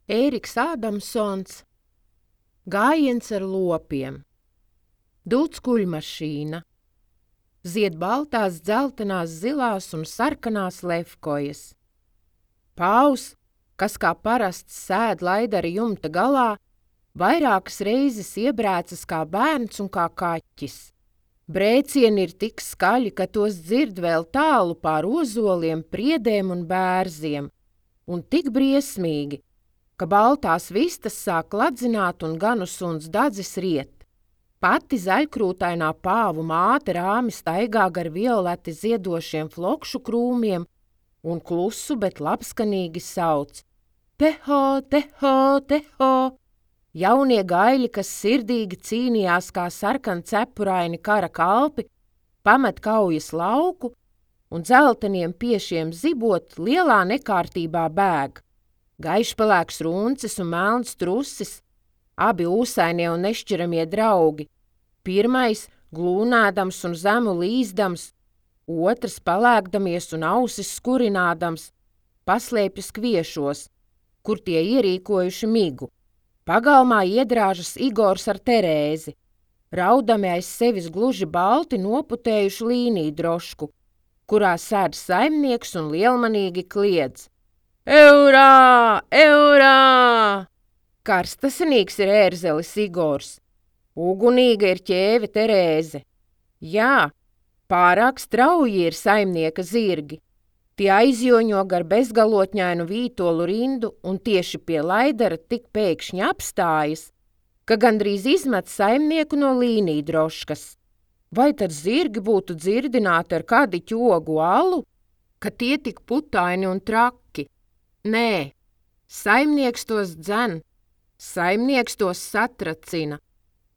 Ēriks Ādamsons, Gājiens ar lopiem, Dūts kuļmašīna, zied baltās, dzeltenās, zilās un sarkanās lefkojas. Pāvs, kas kā parasts sēd Laidara jumta galā, vairākas reizes iebrēcas kā bērns un kā kaķis. Brēcieni ir tik skaļi, ka tos dzird vēl tālu pār ozoliem, priedēm un bērziem, un tik briesmīgi, ka baltās vistas sāk ladzināt un ganu suns dadzis riet. Pati zaļkrūtainā pāvu māte rāmi staigā gar violeti ziedošiem flokšu krūmiem un klusu, bet labskanīgi sauc: Teho, teho, teho! Jaunie gaļi, kas sirdīgi cīnījās kā sarkancepuraini kara kalpi, pamet kaujas lauku un dzelteniem piešiem zibot lielā nekārtībā bēg. Gaišpelēks runcis un melns trusis, abi ūsainie un nešķiramie draugi. Pirmais glūnēdams un zemu līzdams, otrs palēkdamies un ausis skurinādams, paslēpjas kviešos, kur tie ierīkojuši migu. Pagalmā iedrāžas Igors ar Terēzi, raudami aiz sevis gluži balti noputējuši līniju drošku, kurā sēd saimnieks un lielmanīgi kliedz: Eurā! Eurā! Karstasinīgs ir ērzelis Igors, ugunīga ir ķēve Terēze. Jā, pārāk strauji ir saimnieka zirgi. Tie aizjoņo gar bezgalotņainu vītolu rindu un tieši pie Laidara tik pēkšņi apstājas, ka gandrīz izmet saimnieku no līniju droškas. Vai tad zirgi būtu dzirdināti ar kadiķu ogu alu, ka tie tik putaini un traki? Nē, saimnieks tos dzen, saimnieks tos satracina,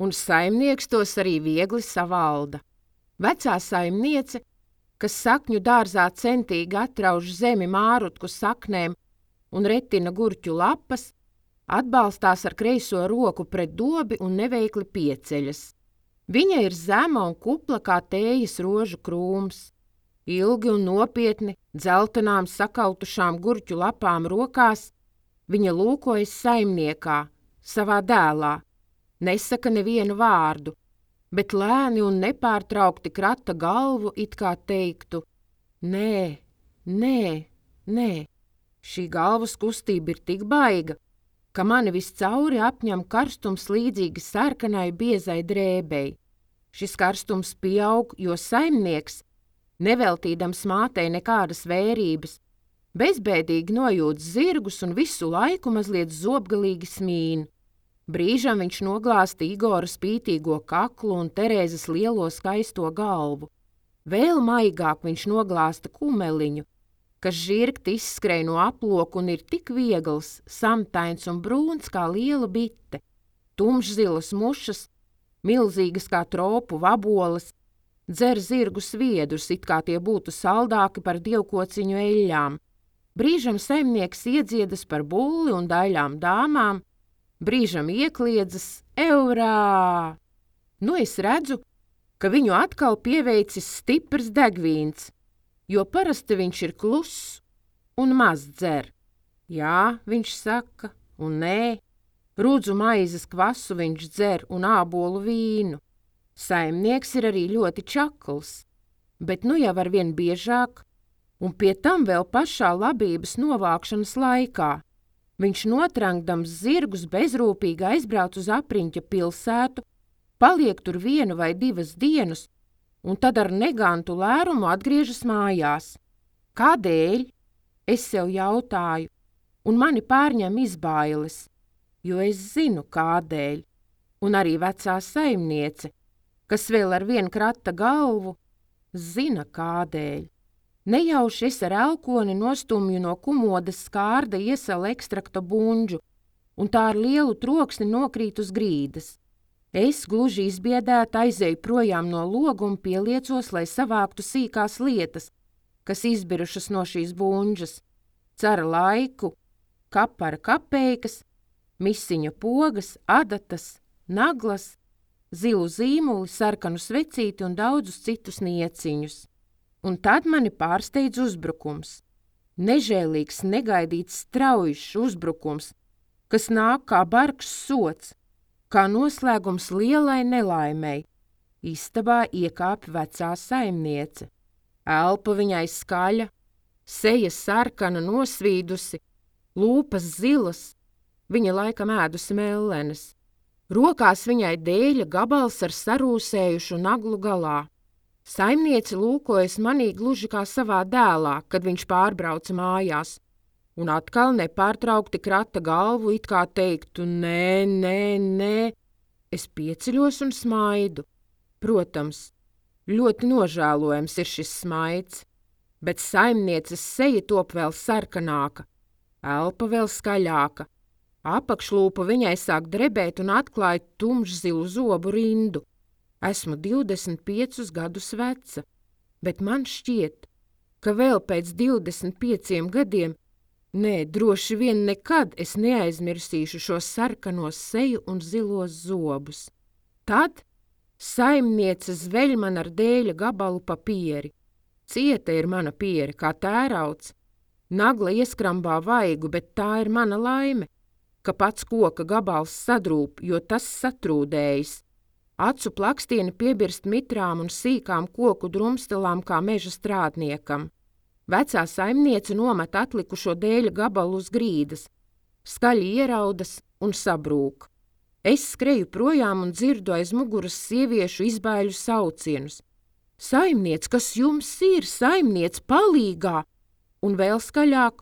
un saimnieks tos arī viegli savalda. Vecā saimniece, kas sakņu dārzā centīgi atrauž zemi mārutku saknēm un retina gurķu lapas, atbalstās ar kreiso roku pret dobi un neveikli pieceļas. Viņa ir zema un kupla kā tējas rožu krūms. Ilgi un nopietni, dzeltenām sakautušām gurķu lapām rokās, viņa lūkojas saimniekā, savā dēlā, nesaka nevienu vārdu, bet lēni un nepārtraukti krata galvu, it kā teiktu: Nē, nē, nē. Šī galvas kustība ir tik baiga, ka mani viscauri apņem karstums līdzīgi sarkanai biezai drēbei. Šis karstums pieaug, jo saimnieks, neveltīdams mātei nekādas vērības, bezbēdīgi nojūt zirgus un visu laiku mazliet zobgalīgi smīn. Brīžam viņš noglāsta Igora spītīgo kaklu un Terēzes lielo skaisto galvu. Vēl maigāk viņš noglāsta kumeliņu, kas žirgti izskrēj no aploka un ir tik viegls, samtains un brūns kā liela bite. Tumšzilas mušas, milzīgas kā tropu vaboles, dzer zirgu sviedrus, it kā tie būtu saldāki par dievkociņu eļļām. Brīžam saimnieks iedziedas par bulli un daļām dāmām, brīžam iekliedzas: Eurā! Nu es redzu, ka viņu atkal pieveicis stiprs degvīns, jo parasti viņš ir kluss un maz dzer. Jā, viņš saka, un nē, rudzu maizes kvasu viņš dzer un ābolu vīnu. Saimnieks ir arī ļoti čakls, bet nu jau arvien biežāk, un pie tam vēl pašā labības novākšanas laikā. Viņš notrankdams zirgus bezrūpīgi aizbrauc uz apriņķa pilsētu, paliek tur 1 vai 2 dienas, un tad ar negantu lērumu atgriežas mājās. Kādēļ? Es sev jautāju, un mani pārņem izbailes, jo es zinu kādēļ. Un arī vecā saimniece, kas vēl arvien krata galvu, zina kādēļ. Nejauši es ar elkoni nostumju no kumodas skārda iesala ekstrakta buņģu, un tā ar lielu troksni nokrīt uz grīdas. Es gluži izbiedēta aizēju projām no loga un pieliecos, lai savāktu sīkās lietas, kas izbirušas no šīs buņģas: cara laiku, kapara kapeikas, misiņa pogas, adatas, naglas, zilu zīmuli, sarkanu svecīti un daudzus citus nieciņus. Un tad mani pārsteidz uzbrukums. Nežēlīgs, negaidīts, straujšs uzbrukums, kas nāk kā bargs sods, kā noslēgums lielai nelaimei. Istabā iekāpj vecā saimniece. Elpa viņai skaļa, seja sarkana nosvīdusi, lūpas zilas, viņa laikam ēdusi mellenes. Rokās viņai dēļa gabals ar sarūsējušu naglu galā. Saimniece lūkojas manī gluži kā savā dēlā, kad viņš pārbrauca mājās, un atkal nepārtraukti krata galvu, it kā teiktu, nē, nē, nē. Es pieceļos un smaidu. Protams, ļoti nožēlojams ir šis smaids, bet saimnieces seja top vēl sarkanāka, elpa vēl skaļāka. Apakšlūpa viņai sāk drebēt un atklāja tumšzilu zobu rindu. Esmu 25 gadus veca, bet man šķiet, ka vēl pēc 25 gadiem, droši vien nekad es neaizmirsīšu šos sarkanos seju un zilos zobus. Tad saimniece zveļ man ar dēļa gabalu pa pieri. Cieta ir mana pieri, kā tērauds. Nagla ieskrambā vaigu, bet tā ir mana laime, ka pats koka gabals sadrūp, jo tas satrūdējis. Acu plakstieni piebirst mitrām un sīkām koku drumstelām kā meža strādniekam. Vecā saimniece nomet atlikušo dēļa gabalu uz grīdas, skaļi ieraudas un sabrūk. Es skreju projām un dzirdu aiz muguras sieviešu izbaiļu saucienus. Saimniec, kas jums ir? Saimniec, palīgā! Un vēl skaļāk,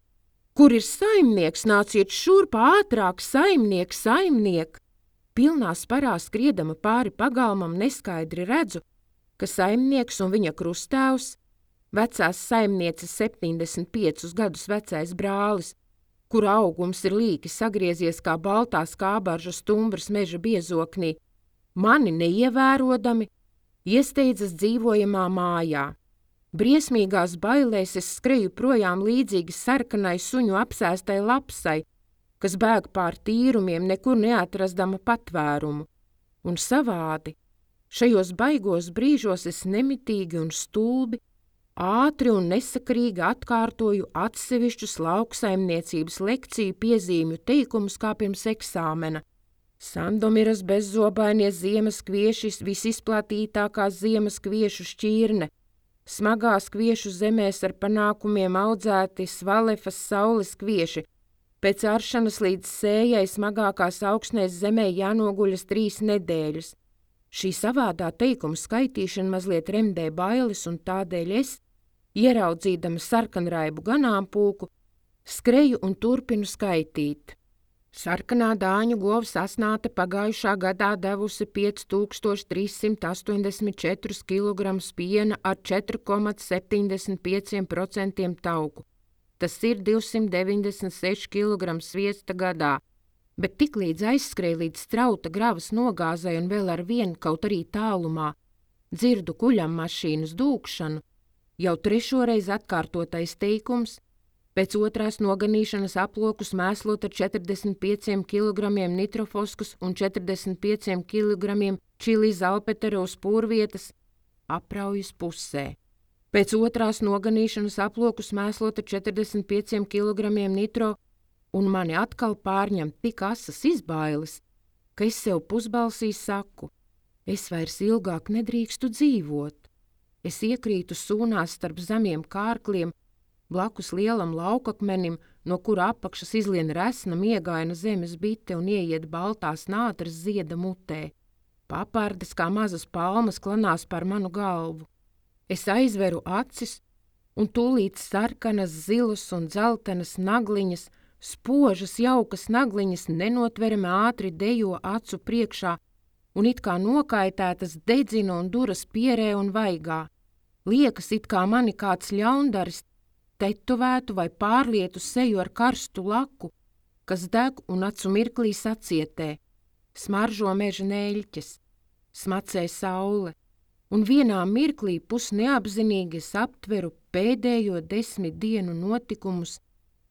kur ir saimnieks? Nāciet šurp ātrāk, saimniek! Pilnā sparā skriedama pāri pagalmam neskaidri redzu, ka saimnieks un viņa krustāvs, vecās saimnieces 75 gadus vecais brālis, kura augums ir līki sagriezies kā baltā skābarža stumbras meža biezoknī, mani neievērodami, iesteidzas dzīvojamā mājā. Briesmīgās bailēs es skreju projām līdzīgi sarkanai suņu apsēstai lapsai, kas bēg pār tīrumiem, nekur neatrastama patvērumu. Un savādi, šajos baigos brīžos es nemitīgi un stulbi, ātri un nesakarīgi atkārtoju atsevišķus lauksaimniecības lekciju piezīmju teikumus kā pirms eksāmena. Sandomiras bezzobainie ziemas kvieši, visizplatītākā ziemas kviešu šķirne, smagās kviešu zemēs ar panākumiem audzēti Svalefas saules kvieši, pēc aršanas līdz sējai smagākās augsnēs zemē jānoguļas 3 nedēļas. Šī savādā teikuma skaitīšana mazliet remdē bailes, un tādēļ es, ieraudzīdama sarkanraibu ganāmpulku, skreju un turpinu skaitīt. Sarkanā dāņu govs asnāte pagājušā gadā devusi 5384 kg piena ar 4,75% tauku. Tas ir 296 kg sviesta gadā, bet tiklīdz aizskrēja līdz strauta gravas nogāzai un vēl ar vienu kaut arī tālumā, dzirdu kuļam mašīnas dūkšanu, jau 3. reizi atkārtotais teikums, pēc 2. noganīšanas aplokus mēslot ar 45 kg nitrofoskus un 45 kg čili zalpetera uz pūrvietas, apraujas pusē. Pēc 2. noganīšanas aplokus mēslot ar 45 kg nitro, un mani atkal pārņem tik asas izbailes, ka es sev pusbalsī saku, es vairs ilgāk nedrīkstu dzīvot. Es iekrītu sūnās starp zemiem kārkliem, blakus lielam laukakmenim, no kura apakšas izlien resna miegaina zemes bite un ieiet baltās nātras zieda mutē. Papardes kā mazas palmas klanās par manu galvu. Es aizveru acis, un tūlīt sarkanas, zilas un dzeltenas nagliņas, spožas jaukas nagliņas nenotverami ātri dejo acu priekšā un it kā nokaitētas dedzina un duras pierē un vaigā. Liekas, it kā mani kāds ļaundaris tetovētu vai pārlietu seju ar karstu laku, kas deg un acu mirklī sacietē, smaržo meža neļķes, smacē saule, un vienā mirklī pusneapzinīgi es aptveru pēdējo 10 dienu notikumus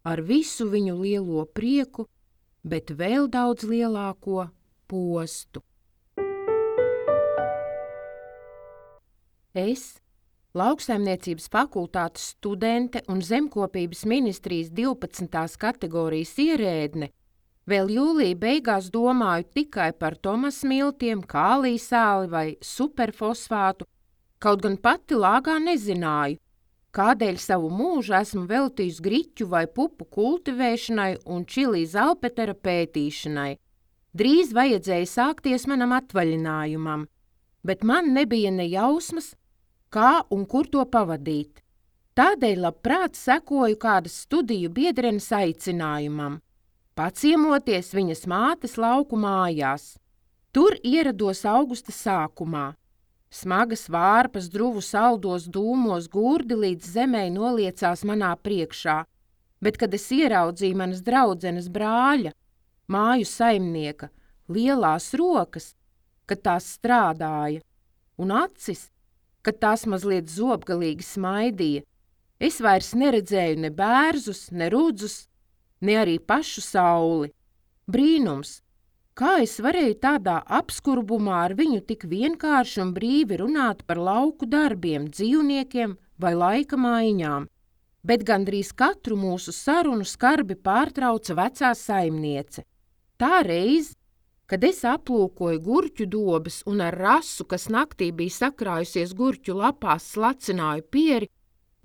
ar visu viņu lielo prieku, bet vēl daudz lielāko postu. Es, Lauksaimniecības fakultātes studente un Zemkopības ministrijas 12. kategorijas ierēdne, Vēl jūlija beigās domāju tikai par Tomas miltiem, kālija sāli vai superfosfātu, kaut gan pati lāgā nezināju, kādēļ savu mūžu esmu veltījusi griķu vai pupu kultivēšanai un čilī zalpetera pētīšanai. Drīz vajadzēja sākties manam atvaļinājumam, bet man nebija ne jausmas, kā un kur to pavadīt. Tādēļ labprāt sekoju kādas studiju biedrenes aicinājumam, paciemoties viņas mātes lauku mājās. Tur ierados augusta sākumā. Smagas vārpas druvu saldos dūmos gurdi līdz zemei noliecās manā priekšā, bet, kad es ieraudzīju manas draudzenes brāļa, māju saimnieka, lielās rokas, kad tās strādāja, un acis, kad tās mazliet zobgalīgi smaidīja, es vairs neredzēju ne bērzus, ne rudzus, ne arī pašu sauli. Brīnums! Kā es varēju tādā apskurbumā ar viņu tik vienkārši un brīvi runāt par lauku darbiem, dzīvniekiem vai laika maiņām, bet gandrīz katru mūsu sarunu skarbi pārtrauca vecā saimniece. Tā reiz, kad es aplūkoju gurķu dobes un ar rasu, kas naktī bija sakrājusies gurķu lapās, slacināju pieri,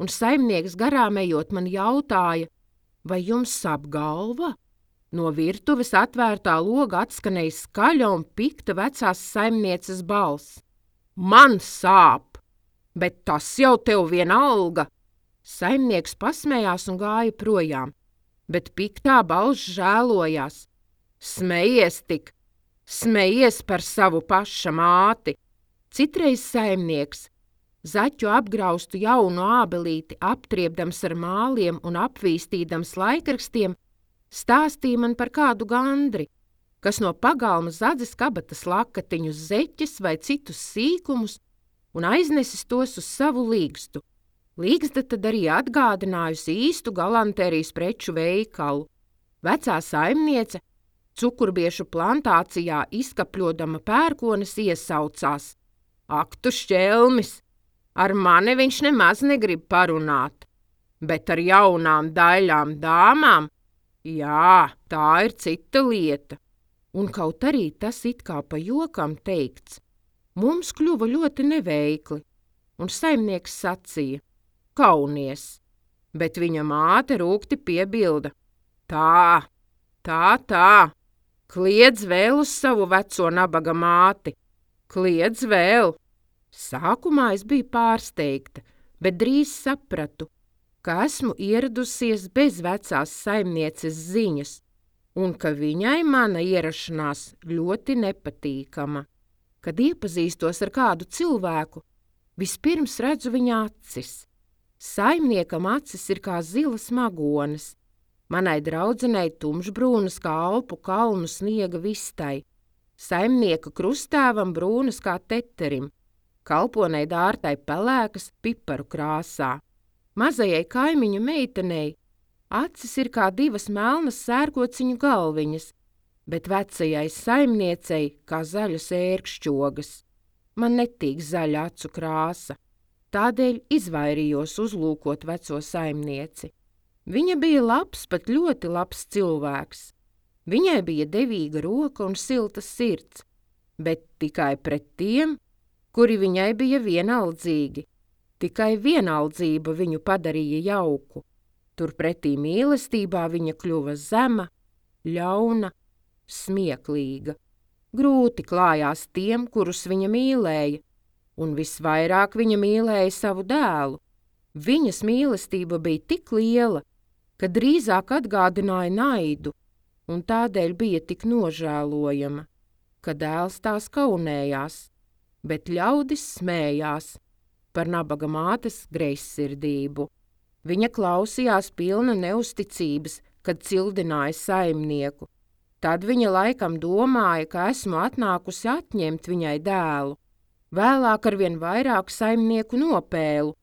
un saimnieks garām ejot man jautāja, vai jums sāp galva? No virtuves atvērtā loga atskanēja skaļa un pikta vecās saimnieces balss. Man sāp, bet tas jau tev vienalga. Saimnieks pasmējās un gāja projām, bet piktā balss žēlojās. Smejies tik, smejies par savu paša māti. Citreiz saimnieks, zaķu apgraustu jaunu ābelīti aptriebdams ar māliem un apvīstīdams laikrakstiem, stāstīja man par kādu gandri, kas no pagalma zadzes kabatas lakatiņus, zeķes vai citus sīkumus un aiznesis tos uz savu līgstu. Līgsta tad arī atgādinājusi īstu galanterijas preču veikalu. Vecā saimniece, cukurbiešu plantācijā izkapļodama pērkones, iesaucās. Ak, tu šķelmis! Ar mani viņš nemaz negrib parunāt, bet ar jaunām daļām dāmām? Jā, tā ir cita lieta. Un kaut arī tas it kā pa jokam teikts, mums kļuva ļoti neveikli, un saimnieks sacīja, kaunies, bet viņa māte rūgti piebilda, tā, kliedz vēl uz savu veco nabaga māti, kliedz vēl. Sākumā es biju pārsteigta, bet drīz sapratu, ka esmu ieradusies bez vecās saimnieces ziņas un ka viņai mana ierašanās ļoti nepatīkama. Kad iepazīstos ar kādu cilvēku, vispirms redzu viņa acis. Saimniekam acis ir kā zilas magones, manai draudzenei tumšbrūnas kā Alpu kalnu sniega vistai, saimnieka krustēvam brūnas kā teterim, kalponei dārtai pelēkas piparu krāsā. Mazajai kaimiņu meitenei acis ir kā divas melnas sērkociņu galviņas, bet vecajai saimniecei kā zaļas ērkšķogas. Man netīk zaļa acu krāsa, tādēļ izvairījos uzlūkot veco saimnieci. Viņa bija labs, pat ļoti labs cilvēks. Viņai bija devīga roka un silta sirds, bet tikai pret tiem, kuri viņai bija vienaldzīgi. Tikai vienaldzība viņu padarīja jauku. Turpretī mīlestībā viņa kļuva zema, ļauna, smieklīga. Grūti klājās tiem, kurus viņa mīlēja, un visvairāk viņa mīlēja savu dēlu. Viņas mīlestība bija tik liela, ka drīzāk atgādināja naidu, un tādēļ bija tik nožēlojama, ka dēls tās kaunējās, bet ļaudis smējās par nabaga mātes greizsirdību. Viņa klausījās pilna neusticības, kad cildināja saimnieku. Tad viņa laikam domāja, ka esmu atnākusi atņemt viņai dēlu. Vēlāk arvien vairāk saimnieku nopēlu,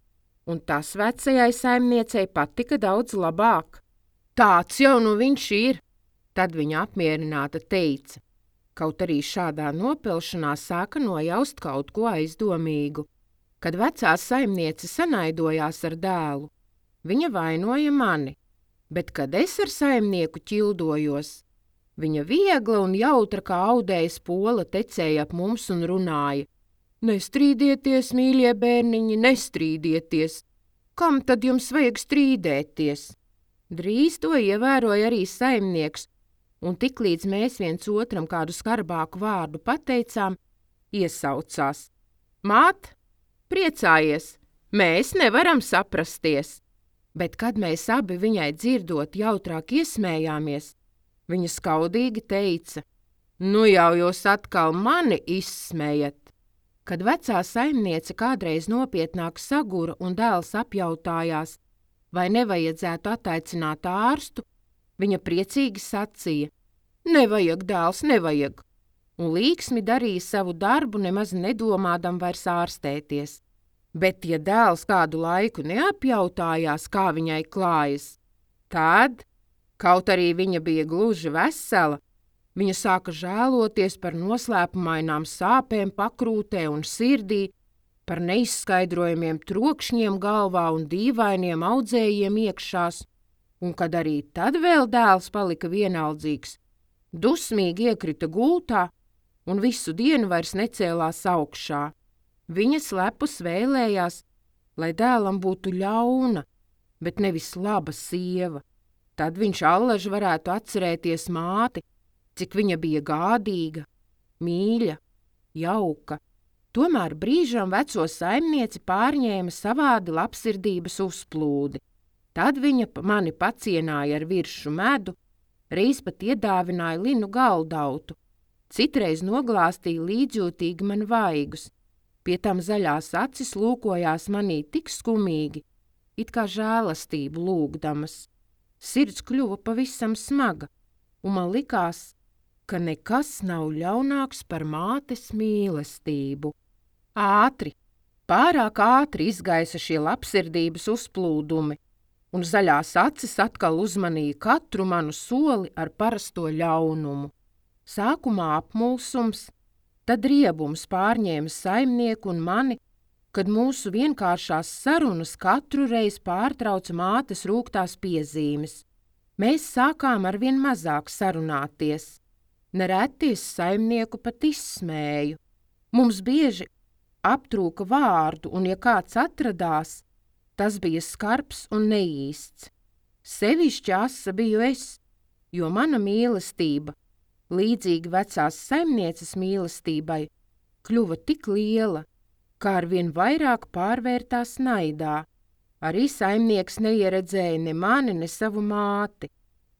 un tas vecajai saimniecei patika daudz labāk. Tāds jau nu viņš ir, tad viņa apmierināta teica. Kaut arī šādā nopelšanā sāka nojaust kaut ko aizdomīgu. Kad vecā saimniece sanaidojās ar dēlu, viņa vainoja mani, bet kad es ar saimnieku ķildojos, Viņa viegla un jautra kā audējas pola tecēja ap mums un runāja: Nestrīdieties, mīļie bērniņi, nestrīdieties! Kam tad jums vajag strīdēties? Drīz to ievēroja arī saimnieks, un tiklīdz mēs viens otram kādu skarbāku vārdu pateicām, iesaucās: Māt, priecājies, mēs nevaram saprasties! Bet, kad mēs abi viņai dzirdot jautrāk iesmējāmies, viņa skaudīgi teica: Nu jau jūs atkal mani izsmējat! Kad vecā saimniece kādreiz nopietnāk sagura un dēls apjautājās, vai nevajadzētu attaicināt ārstu, viņa priecīgi sacīja: Nevajag, dēls, nevajag! Un līksmi darīja savu darbu, nemaz nedomādam vairs ārstēties. Bet, ja dēls kādu laiku neapjautājās, kā viņai klājas, tad, kaut arī viņa bija gluži vesela, viņa sāka žēloties par noslēpumainām sāpēm pakrūtē un sirdī, par neizskaidrojamiem trokšņiem galvā un dīvainiem audzējiem iekšās, un kad arī tad vēl dēls palika vienaldzīgs, dusmīgi iekrita gultā un visu dienu vairs necēlās augšā. Viņa slepus vēlējās, lai dēlam būtu ļauna, bet nevis laba sieva. Tad viņš allaž varētu atcerēties māti, cik viņa bija gādīga, mīļa, jauka. Tomēr brīžam veco saimnieci pārņēma savādi labsirdības uzplūdi. Tad viņa mani pacienāja ar viršu medu, reiz pat iedāvināja linu galdautu, citreiz noglāstīja līdzjūtīgi man vaigus. Pie tam zaļās acis lūkojās manī tik skumīgi, it kā žēlastību lūgdamas. Sirds kļuva pavisam smaga, un man likās, ka nekas nav ļaunāks par mātes mīlestību. Pārāk ātri izgaisa šie labsirdības uzplūdumi, un zaļās acis atkal uzmanīja katru manu soli ar parasto ļaunumu. Sākumā apmulsums, tad riebums pārņēma saimnieku un mani, kad mūsu vienkāršās sarunas katru reizi pārtrauca mātes rūgtās piezīmes. Mēs sākām arvien mazāk sarunāties. Nereti es saimnieku pat izsmēju. Mums bieži aptrūka vārdu, un ja kāds atradās, tas bija skarbs un neīsts. Sevišķi asa biju es, jo mana mīlestība, līdzīgi vecās saimnieces mīlestībai, kļuva tik liela, kā arvien vairāk pārvērtās naidā. Arī saimnieks neieredzēja ne mani, ne savu māti.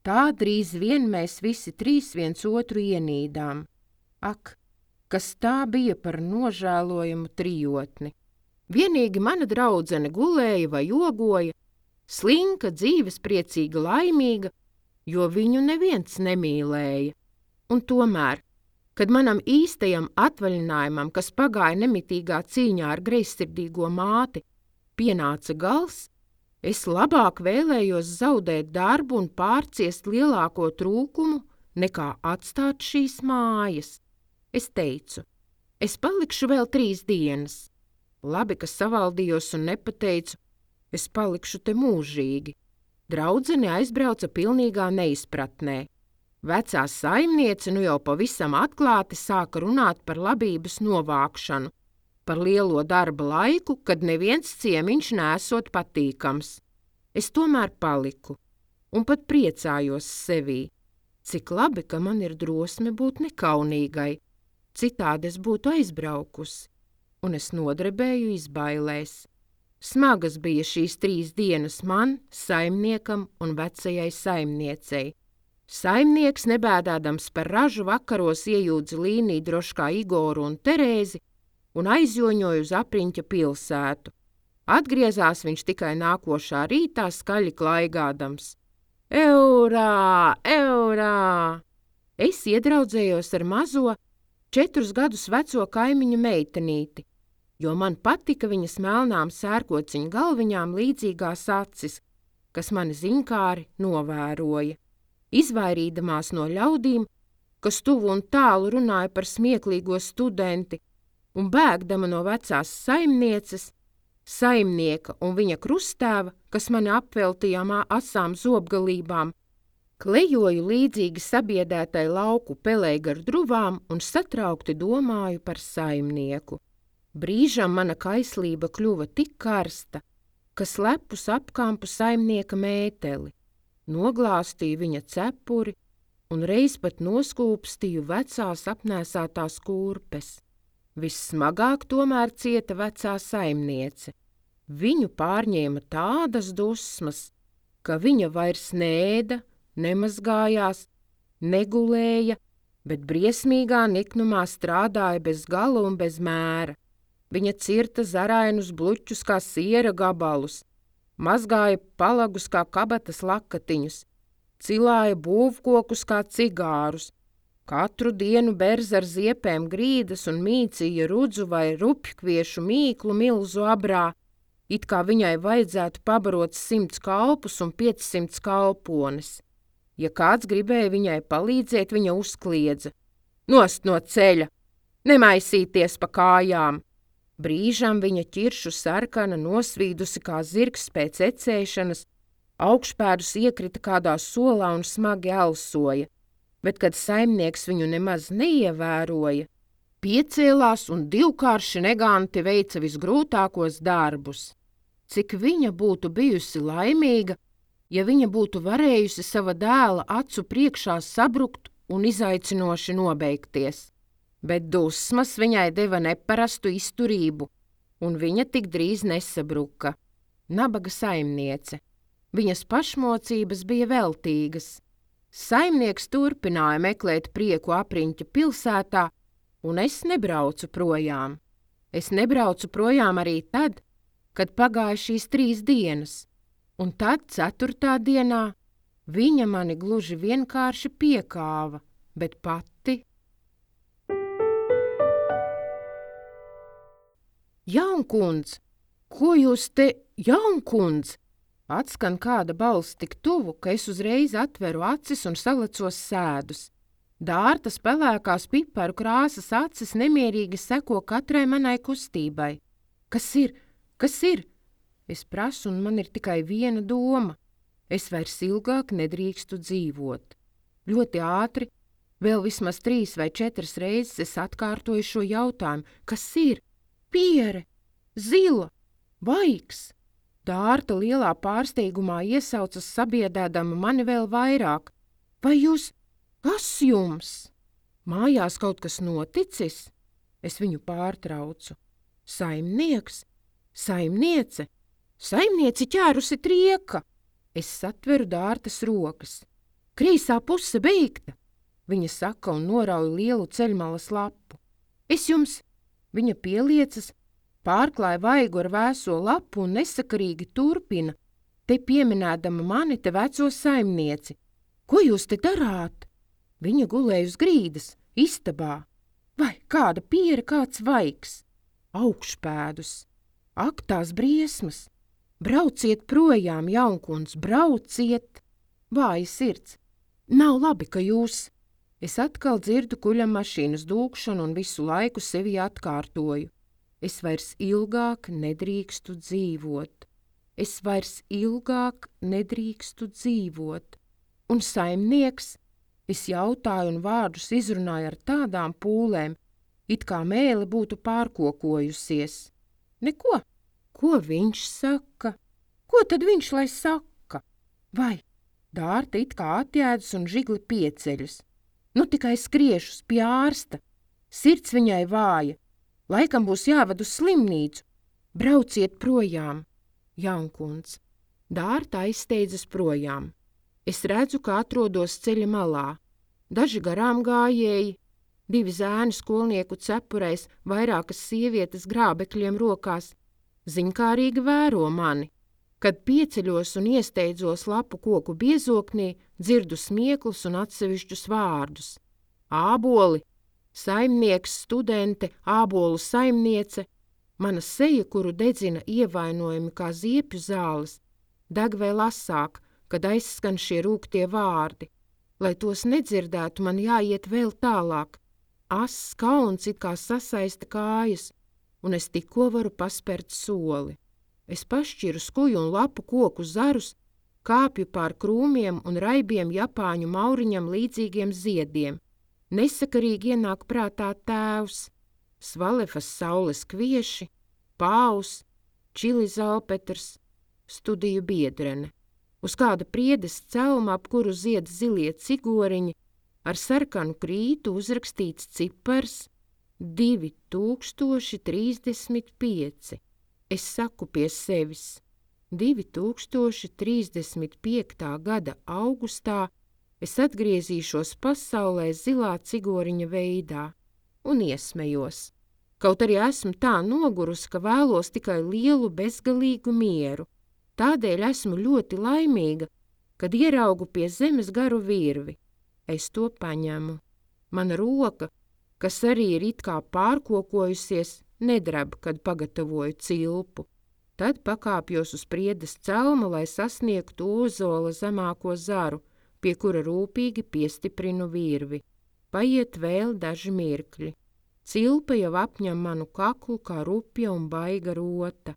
Tā drīz vien mēs visi trīs viens otru ienīdām. Ak, kas tā bija par nožēlojumu trijotni! Vienīgi mana draudzene gulēja vai jogoja, slinka, dzīvespriecīga, laimīga, jo viņu neviens nemīlēja. Un tomēr, kad manam īstajam atvaļinājumam, kas pagāja nemitīgā cīņā ar greizsirdīgo māti, pienāca gals, es labāk vēlējos zaudēt darbu un pārciest lielāko trūkumu, nekā atstāt šīs mājas. Es teicu, es palikšu vēl 3 dienas. Labi, ka savaldījos un nepateicu, es palikšu te mūžīgi. Draudzene aizbrauca pilnīgā neizpratnē. Vecā saimniece nu jau pavisam atklāti sāka runāt par labības novākšanu, par lielo darba laiku, kad neviens ciemiņš nesot patīkams. Es tomēr paliku un pat priecājos sevī. Cik labi, ka man ir drosme būt nekaunīgai, citādi es būtu aizbraukusi, un es nodrebēju izbailēs. Smagas bija šīs 3 dienas man, saimniekam un vecajai saimniecei. Saimnieks, nebēdādams par ražu, vakaros iejūdza līniju droškā Igoru un Terēzi un aizjoņoja uz apriņķa pilsētu. Atgriezās viņš tikai nākošā rītā skaļi klaigādams. Eurā, eurā! Es iedraudzējos ar mazo 4 gadus veco kaimiņu meitenīti, jo man patika viņas melnām sērkociņu galviņām līdzīgās acis, kas mani ziņkāri novēroja. Izvairīdamās no ļaudīm, kas tuvu un tālu runāja par smieklīgo studenti, un bēgdama no vecās saimnieces, saimnieka un viņa krustēva, kas mani apveltījām asām zobgalībām, Klejoju līdzīgi sabiedētai lauku pelei gar druvām un satraukti domāju par saimnieku. Brīžam mana kaislība kļuva tik karsta, ka slepus apkampu saimnieka mēteli, noglāstīju viņa cepuri un reiz pat noskūpstīju vecās apnēsātās kurpes. Vissmagāk tomēr cieta vecā saimniece. Viņu pārņēma tādas dusmas, ka viņa vairs neēda, nemazgājās, negulēja, bet briesmīgā niknumā strādāja bez gala un bez mēra. Viņa cirta zarainus bluķus kā siera gabalus, mazgāja palagus kā kabatas lakatiņus, cilāja būvkokus kā cigārus, katru dienu berz ar ziepēm grīdas un mīcīja rudzu vai rupjkviešu mīklu milzu abrā, it kā viņai vajadzētu pabarot 100 kalpus un 500 kalpones. Ja kāds gribēja viņai palīdzēt, viņa uzkliedza: "Nost no ceļa! Nemaisīties pa kājām!" Brīžam viņa ķiršu sarkana nosvīdusi kā zirgs pēc ecēšanas, augšpēdus iekrita kādā solā un smagi elsoja, bet, kad saimnieks viņu nemaz neievēroja, piecēlās un divkārši neganti veica visgrūtākos darbus. Cik viņa būtu bijusi laimīga, ja viņa būtu varējusi sava dēla acu priekšā sabrukt un izaicinoši nobeigties. Bet dusmas viņai deva neparastu izturību, un viņa tik drīz nesabruka. Nabaga saimniece. Viņas pašmocības bija veltīgas. Saimnieks turpināja meklēt prieku apriņķa pilsētā, un es nebraucu projām. Es nebraucu projām arī tad, kad pagāja šīs 3 dienas. Un tad 4. dienā viņa mani gluži vienkārši piekāva, bet pati. Jaunkundz, ko jūs te, jaunkundz? Atskan kāda balss tik tuvu, ka es uzreiz atveru acis un salecos sēdus. Dārtas pelēkās piparu krāsas acis nemierīgi seko katrai manai kustībai. Kas ir? Kas ir? Es prasu, un man ir tikai viena doma. Es vairs ilgāk nedrīkstu dzīvot. Ļoti ātri, vēl vismaz 3 vai 4 reizes es atkārtoju šo jautājumu. Kas ir? Piere, zila, vaigs. Dārta lielā pārsteigumā iesaucas sabiedēdama mani vēl vairāk. Vai jūs? Kas jums? Mājās kaut kas noticis? Es viņu pārtraucu. Saimnieks? Saimniece? Saimnieci ķērusi trieka. Es satveru Dārtas rokas. Kreisā puse beigta, viņa saka un norauj lielu ceļmalas lapu. Es jums, viņa pieliecas, pārklāja vaigu ar vēso lapu un nesakarīgi turpina, te pieminēdama mani te veco saimnieci. Ko jūs te darāt? Viņa gulēja uz grīdas, istabā. Vai kāda piere, kāds vaigs? Augšpēdus. Ak, tās briesmas! Brauciet projām, jaunkundz, brauciet! Vāja sirds. Nav labi, ka jūs... Es atkal dzirdu kuļam mašīnas dūkšanu un visu laiku sevi atkārtoju. Es vairs ilgāk nedrīkstu dzīvot. Es vairs ilgāk nedrīkstu dzīvot. Un saimnieks? Es jautāju un vārdus izrunāju ar tādām pūlēm, it kā mēle būtu pārkokojusies. Neko. Ko viņš saka? Ko tad viņš lai saka? Vai? Dārta it kā atjēdus un žigli pieceļus. Nu tikai skriešus pie ārsta. Sirds viņai vāja. Laikam būs jāved uz slimnīcu. Brauciet projām. Jaunkundz. Dārta aizsteidzas projām. Es redzu, ka atrodos ceļa malā. Daži garām gājēji, 2 zēni skolnieku cepurēs, vairākas sievietes grābekļiem rokās. Ziņkārīgi vēro mani. Kad pieceļos un iesteidzos lapu koku biezoknī, dzirdu smieklus un atsevišķus vārdus. Āboli, saimnieks, studente, ābolu saimniece, mana seja, kuru dedzina ievainojumi kā ziepju zāles, deg vēl asāk, kad aizskan šie rūgtie vārdi. Lai tos nedzirdētu, man jāiet vēl tālāk. Ass kauns it kā sasaista kājas, un es tikko varu paspērt soli. Es pašķiru skuju un lapu koku zarus, kāpju pār krūmiem un raibiem Japāņu mauriņam līdzīgiem ziediem. Nesakarīgi ienāk prātā tēvs, Svalefas saules kvieši, Pāvs, Čili Zalpetrs, studiju biedrene. Uz kāda priedes celma, ap kuru zied zilie cigoriņi, ar sarkanu krītu uzrakstīts cipars 2035. Es saku pie sevis, 2035. gada augustā es atgriezīšos pasaulē zilā cigoriņa veidā un iesmejos. Kaut arī esmu tā nogurusi, ka vēlos tikai lielu bezgalīgu mieru. Tādēļ esmu ļoti laimīga, kad ieraugu pie zemes garu virvi. Es to paņemu. Mana roka, kas arī ir it kā pārkokojusies, nedrab, kad pagatavoju cilpu. Tad pakāpjos uz priedes celma, lai sasniegtu ozola zemāko zaru, pie kura rūpīgi piestiprinu virvi. Paiet vēl daži mirkļi. Cilpa jau apņem manu kaklu kā rupja un baiga rota.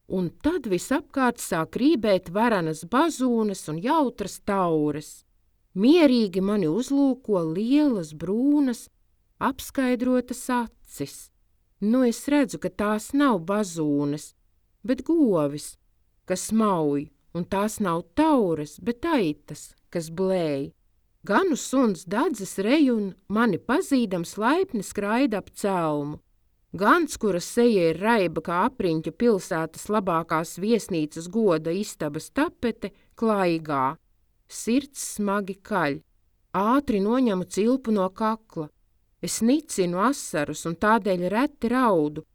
Un tad visapkārt sāk rībēt varenas bazūnes un jautras taures. Mierīgi mani uzlūko lielas, brūnas, apskaidrotas acis. Nu es redzu, ka tās nav bazūnes, bet govis, kas mauj, un tās nav taures, bet aitas, kas blēj. Ganu suns dadzes rej un mani pazīdams laipni skraida ap celmu. Gans, kura seja ir raiba kā apriņķa pilsētas labākās viesnīcas goda istabas tapete, klaigā. Sirds smagi kaļ. Ātri noņemu cilpu no kakla. Es nicinu asarus un tādēļ reti raudu,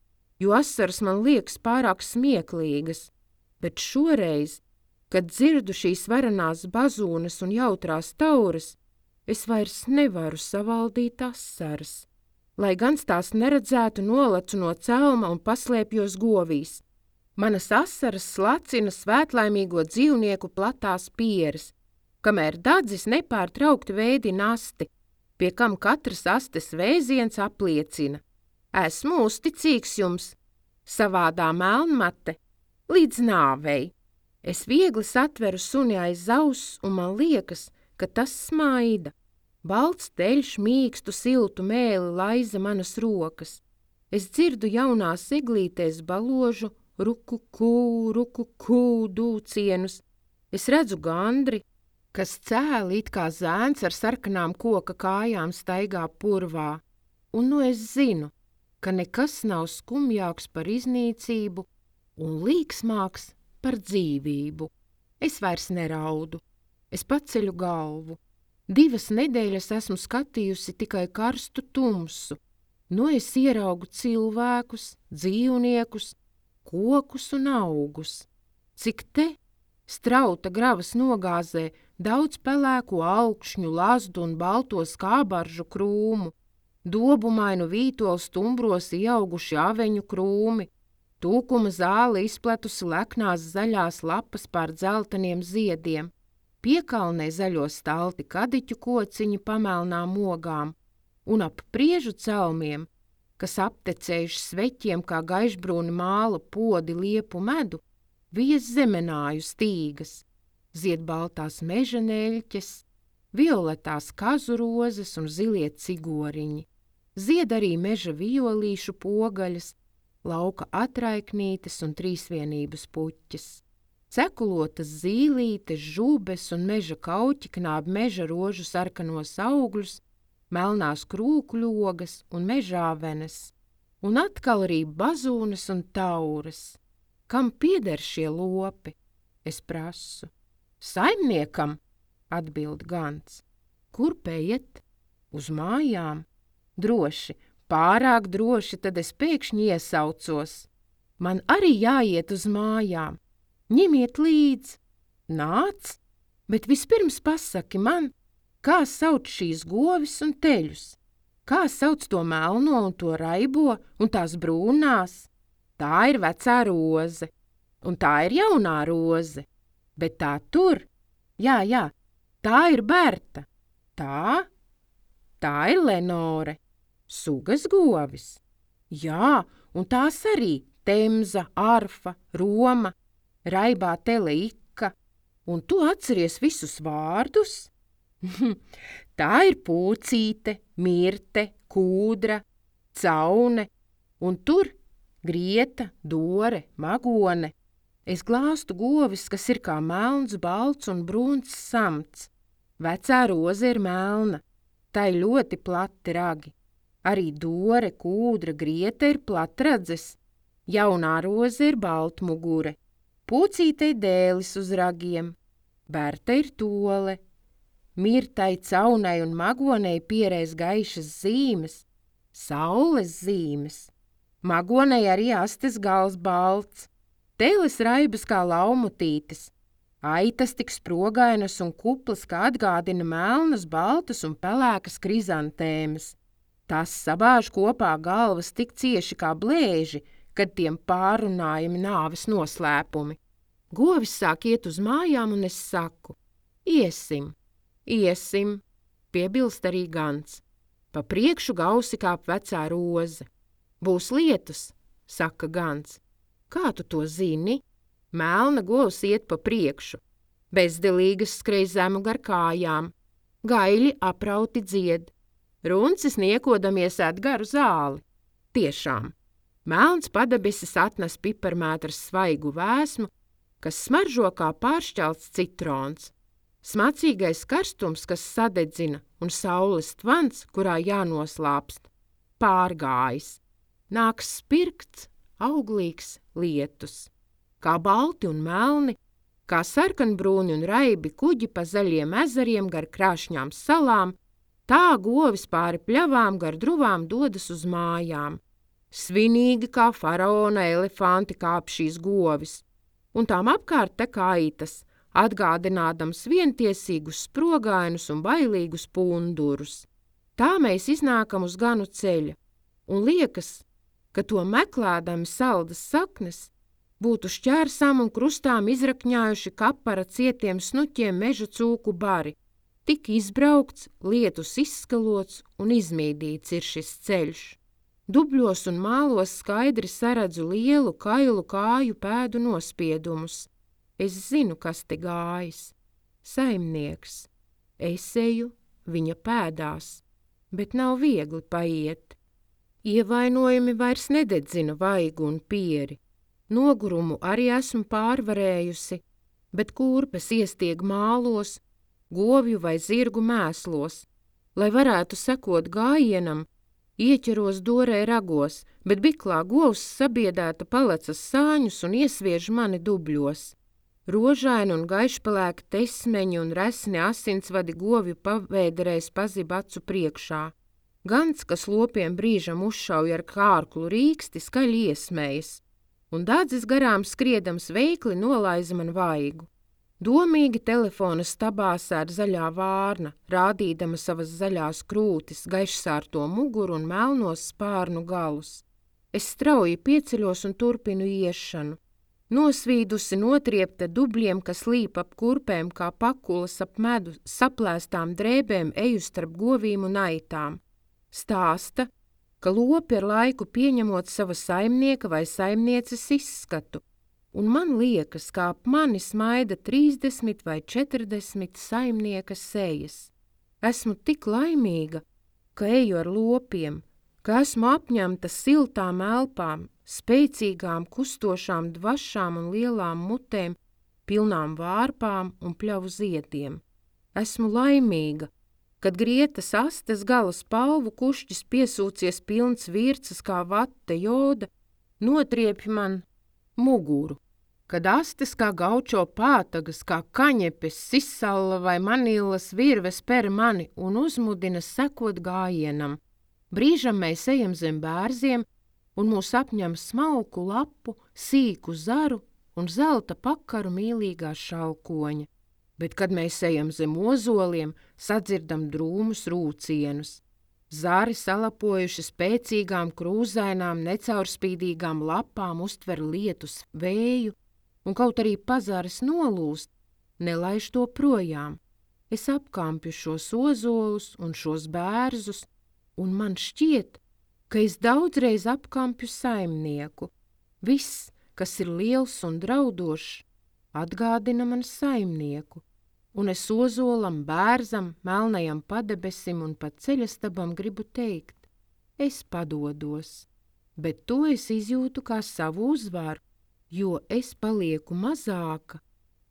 jo asaras man liekas pārāk smieklīgas. Bet šoreiz, kad dzirdu šīs varenās bazūnes un jautrās taures, es vairs nevaru savaldīt asaras. Lai gan tās neredzētu, nolacu no celma un paslēpjos govīs. Manas asaras slacina svētlaimīgo dzīvnieku platās pieres, kamēr dadzis nepārtraukti veidina asti, pie kam katras astes vēziens apliecina. Esmu uzticīgs jums, savādā melnmate, līdz nāvei. Es viegli satveru suni aiz auss, un man liekas, ka tas smaida. Balts teļš mīkstu siltu mēli laiza manas rokas. Es dzirdu jaunās eglītēs baložu ruku-kū dūcienus. Es redzu gandri, kas cēli it kā zēns ar sarkanām koka kājām staigā purvā. Un nu es zinu, ka nekas nav skumjāks par iznīcību un līksmāks par dzīvību. Es vairs neraudu. Es paceļu galvu. 2 nedēļas esmu skatījusi tikai karstu tumsu. Nu es ieraugu cilvēkus, dzīvniekus, kokus un augus. Cik te, strauta gravas nogāzē, daudz pelēko augšņu, lazdu un balto skābaržu krūmu, dobumainu vītolu stumbros ieauguši aveņu krūmi, tūkuma zāle izpletusi leknās zaļās lapas pār dzelteniem ziediem. Piekalnē zaļo stalti kadiķu kociņi pamelnām ogām, un ap priežu celmiem, kas aptecējuši sveķiem kā gaišbrūni māla podi liepu medu, vies zemenāju stīgas, zied baltās meža neļķes, violetās kazu rozes un zilie cigoriņi, zied arī meža violīšu pogaļas, lauka atraiknītes un trīsvienības puķes. Cekulotas zīlītes, žubes un meža kauķi knāb meža rožu sarkanos augļus, melnās krūkļogas un mežāvenes, un atkal arī bazūnes un taures. Kam pieder šie lopi? Es prasu. Saimniekam, atbild Gans. Kur peiet? Uz mājām. Droši, pārāk droši, tad es pēkšņi iesaucos. Man arī jāiet uz mājām. Ņemiet līdz. Nāc, bet vispirms pasaki man, kā sauc šīs govis un teļus? Kā sauc to melno un to raibo un tās brūnās? Tā ir vecā roze, un tā ir jaunā roze, bet tā tur, jā, tā ir Berta. Tā ir Lenore, sugas govis. Jā, un tās arī Temza, Arfa, Roma, raibā tele Ika, Un tu atceries visus vārdus? Tā ir Pūcīte, Mirte, Kūdra, Caune, un tur Grieta, Dore, Magone. Es glāstu govis, kas ir kā melns, balts un brūns samts. Vecā roze ir melna, tai ļoti plati ragi. Arī Dore, Kūdra, Grieta ir platradzes. Jaunā roze ir baltmugure. Pūcītei dēlis uz ragiem. Berta ir tole. Mirtai, Caunei un Magonei pierēs gaišas zīmes, saules zīmes. Magonei arī astes gals balts. Teles raibas kā laumutītes. Aitas tik sprogainas un kuplas, kā atgādina melnas, baltas un pelēkas krizantēmas. Tās sabāž kopā galvas tik cieši kā blēži, kad tiem pārunājami nāves noslēpumi. Govis sāk iet uz mājām, un es saku: iesim, iesim, piebilst arī Gans. Pa priekšu gausi kāp vecā roze. Būs lietus, saka Gans. Kā tu to zini? Melna govs iet pa priekšu. Bezdelīgas skrej zemu gar kājām. Gaļi aprauti dzied. Runcis niekodamies ēd garu zāli. Tiešām. Melns padabesis atnes piparmētras svaigu vēsmu, kas smaržo kā pāršķelts citrons. Smacīgais karstums, kas sadedzina, un saules tvans, kurā jānoslāpst. Pārgājis. Nāks spirkts, auglīgs lietus. Kā balti un melni, kā sarkanbrūni un raibi kuģi pa zaļiem ezeriem gar krāšņām salām, tā govis pāri pļavām gar druvām dodas uz mājām. Svinīgi kā faraona elefanti kāp šīs govis, un tām apkārt tek aitas, atgādinādams vientiesīgus sprogainus un bailīgus pundurus. Tā mēs iznākam uz Ganu ceļa, un liekas, ka to meklēdami saldas saknes būtu šķērsām un krustām izrakņājuši kapara cietiem snuķiem meža cūku bari. Tik izbraukts, lietus izskalots un izmīdīts ir šis ceļš. Dubļos un mālos skaidri saredzu lielu, kailu kāju pēdu nospiedumus. Es zinu, kas te gājis. Saimnieks. Es eju viņa pēdās, bet nav viegli paiet. Ievainojumi vairs nededzina vaigu un pieri. Nogurumu arī esmu pārvarējusi, bet kurpes iestieg mālos, govju vai zirgu mēslos. Lai varētu sekot gājienam, ieķeros Dorē ragos, bet biklā govs sabiedēta palecas sāņus un iesviež mani dubļos. Rožaini un gaišpelēki tesmeņi un resni asinsvadi govju pavēderēs pazib acu priekšā. Gans, kas lopiem brīžam uzšauj ar kārklu rīksti, skaļi iesmējas, un dādzis garām skriedams veikli nolaiza man vaigu. Domīgi telefona stabā sēd zaļā vārna, rādīdama savas zaļās krūtis, gaišsārto muguru un melnos spārnu galus. Es strauji pieceļos un turpinu iešanu. Nosvīdusi notriepta dubļiem, kas līp ap kurpēm kā pakulas ap medu, saplēstām drēbēm eju starp govīm un aitām. Stāsta, ka lopi ar laiku pieņemot sava saimnieka vai saimnieces izskatu, un man liekas, kā ap mani smaida 30 vai 40 saimnieka sejas. Esmu tik laimīga, ka eju ar lopiem, ka esmu apņemta siltām elpām, spēcīgām, kustošām dvašām un lielām mutēm, pilnām vārpām un pļavu ziediem. Esmu laimīga, kad grietas astes gala spalvu kušķis piesūcies pilns virces kā vate joda, notriepj man muguru. Kad astes kā gaučo pātagas, kā kaņepes, sisalla vai manīlas virves per mani un uzmudina sekot gājienam. Brīžam mēs ejam zem bērziem, un mūs apņem smalku lapu, sīku zaru un zelta pakaru mīlīgā šalkoņa. Bet, kad mēs ejam zem ozoliem, sadzirdam drūmus rūcienus. Zari salapojuši spēcīgām, krūzainām, necaurspīdīgām lapām uztver lietus vēju, un kaut arī pazares nolūst, nelaiž to projām. Es apkampju šos ozolus un šos bērzus, un man šķiet, ka es daudzreiz apkampju saimnieku. Viss, kas ir liels un draudošs, atgādina man saimnieku, un es ozolam, bērzam, melnajam padebesim un pat ceļastabam gribu teikt, es padodos, bet to es izjūtu kā savu uzvaru, jo es palieku mazāka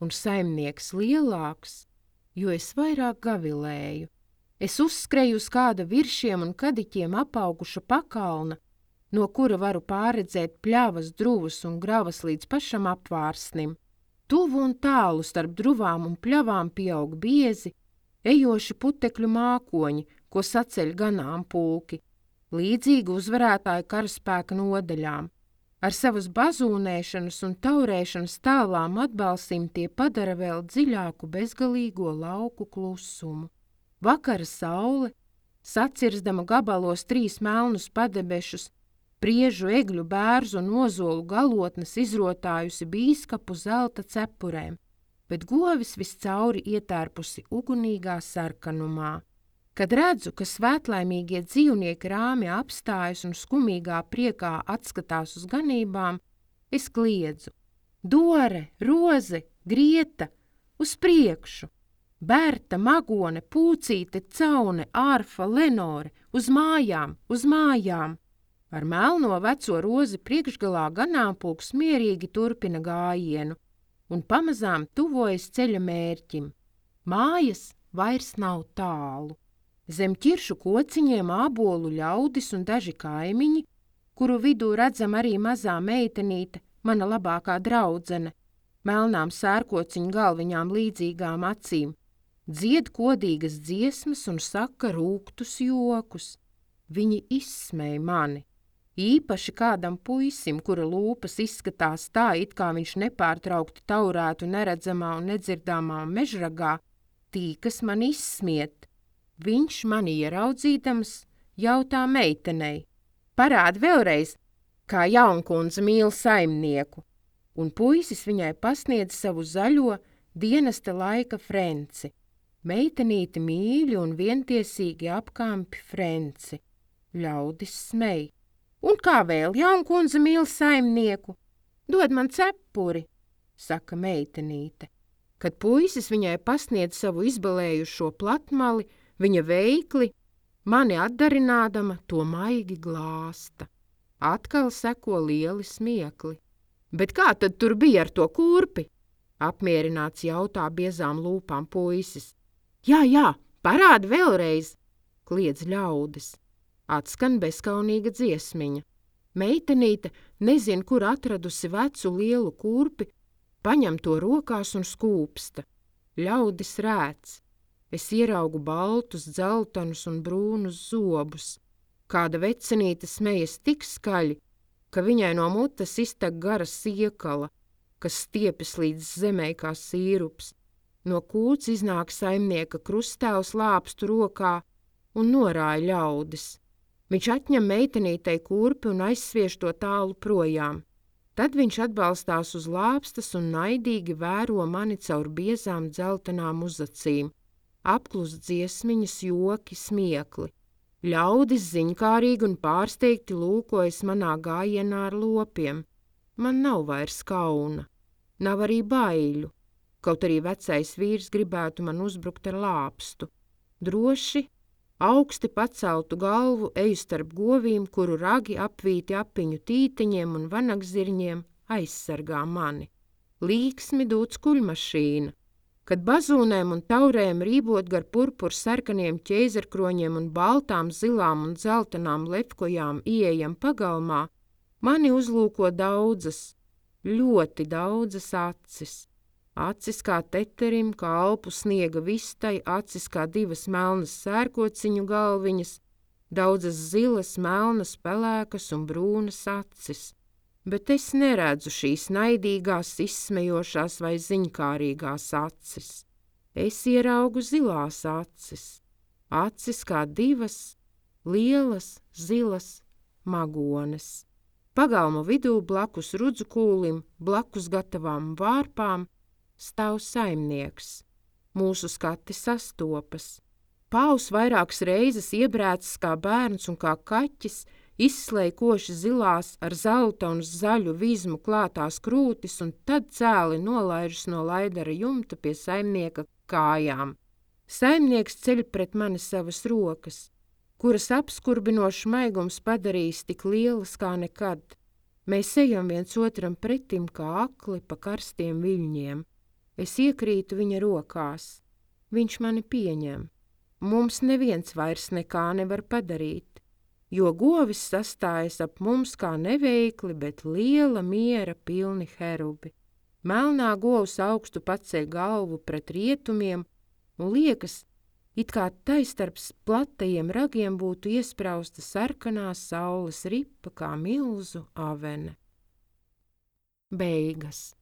un saimnieks lielāks, jo es vairāk gavilēju. Es uzskreju uz kāda viršiem un kadiķiem apauguša pakalna, no kura varu pārredzēt pļavas, druvas un gravas līdz pašam apvārsnim. Tuvu un tālu starp druvām un pļavām pieaug biezi, ejoši putekļu mākoņi, ko saceļ ganāmpulki, līdzīgi uzvarētāju karaspēka nodaļām. Ar savas bazūnēšanas un taurēšanas tālām atbalstīm tie padara vēl dziļāku bezgalīgo lauku klusumu. Vakara saule, sacirzdama gabalos 3 melnus padebešus, priežu, egļu, bērzu un ozolu galotnes izrotājusi bīskapu zelta cepurēm, bet govis viscauri ietērpusi ugunīgā sarkanumā. Kad redzu, ka svētlaimīgie dzīvnieki rāmi apstājas un skumīgā priekā atskatās uz ganībām, es kliedzu: Dore, Roze, Grieta, uz priekšu! Berta, Magone, Pūcīte, Caune, Ārfa, Lenore, uz mājām, uz mājām! Ar melno veco Rozi priekšgalā ganāmpulks mierīgi turpina gājienu un pamazām tuvojas ceļa mērķim. Mājas vairs nav tālu. Zem ķiršu kociņiem ābolu ļaudis un daži kaimiņi, kuru vidū redzam arī mazā meitenīte, mana labākā draudzene, melnām sērkociņu galviņām līdzīgām acīm, dzied kodīgas dziesmas un saka rūgtus jokus. Viņi izsmej mani. Īpaši kādam puisim, kura lūpas izskatās tā, it kā viņš nepārtraukti taurētu neredzamā un nedzirdāmā mežragā, tīkas man izsmiet. Viņš mani ieraudzīdams jautā meitenei: Parādi vēlreiz, kā jaunkundze mīl saimnieku, un puisis viņai pasniedz savu zaļo dienesta laika frenci. Meitenīti mīļi un vientiesīgi apkampi frenci. Ļaudis smej. Un kā vēl jaunkundze mīl saimnieku? Dod man cepuri, saka meitenīte. Kad puisis viņai pasniedz savu izbalējušo platmali, viņa veikli, mani atdarinādama, to maigi glāsta. Atkal seko lieli smiekli. Bet kā tad tur bija ar to kurpi? Apmierināts jautā biezām lūpām puisis. Jā, parādi vēlreiz, kliedz ļaudis. Atskan bezkaunīga dziesmiņa. Meitenīte nezin, kur atradusi vecu lielu kurpi, paņem to rokās un skūpsta. Ļaudis rēc. Es ieraugu baltus, dzeltenus un brūnus zobus. Kāda vecenīte smejas tik skaļi, ka viņai no mutes iztek gara siekala, kas stiepjas līdz zemē kā sīrups. No kūts iznāk saimnieka krustāvs lāpstu rokā un norāja ļaudis. Viņš atņem meitenītei kurpi un aizsviež to tālu projām. Tad viņš atbalstās uz lāpstas un naidīgi vēro mani caur biezām dzeltenām uzacīm. Apklust dziesmiņas, joki, smiekli. Ļaudis ziņkārīgi un pārsteigti lūkojas manā gājienā ar lopiem. Man nav vairs kauna. Nav arī baiļu, kaut arī vecais vīrs gribētu man uzbrukt ar lāpstu. Droši, augsti paceltu galvu eju starp govīm, kuru ragi apvīti apiņu tītiņiem un vanagzirņiem aizsargā mani. Līksmi dūc kuļmašīna. Kad bazūnēm un taurēm rībot gar purpur sarkaniem ķēzerkroņiem un baltām, zilām un dzeltenām lepkojām ieejam pagalmā, mani uzlūko daudzas, ļoti daudzas acis. Acis kā teterim, kā alpu sniega vistai, acis kā 2 melnas sērkociņu galviņas, daudzas zilas, melnas, pelēkas un brūnas acis. Bet es neredzu šīs naidīgās, izsmejošās vai ziņkārīgās acis. Es ieraugu zilās acis. Acis kā 2 lielas, zilas magones. Pagalma vidū blakus rudzu kūlim, blakus gatavām vārpām, stāv saimnieks. Mūsu skati sastopas. Pāvs vairākas reizes iebrēcis kā bērns un kā kaķis, izslēja koši zilās ar zelta un zaļu vizmu klātās krūtis un tad cēli nolaižas no laidara jumta pie saimnieka kājām. Saimnieks ceļ pret mani savas rokas, kuras apskurbinošs maigums padarījis tik lielas kā nekad. Mēs ejam viens otram pretim kā akli pa karstiem viļņiem. Es iekrītu viņa rokās. Viņš mani pieņem. Mums neviens vairs nekā nevar padarīt, jo govis sastājas ap mums kā neveikli, bet liela miera pilni herubi. Melnā govs augstu paceļ galvu pret rietumiem un liekas, it kā tai starp platajiem ragiem būtu iesprausta sarkanā saules ripa kā milzu avene. Beigas.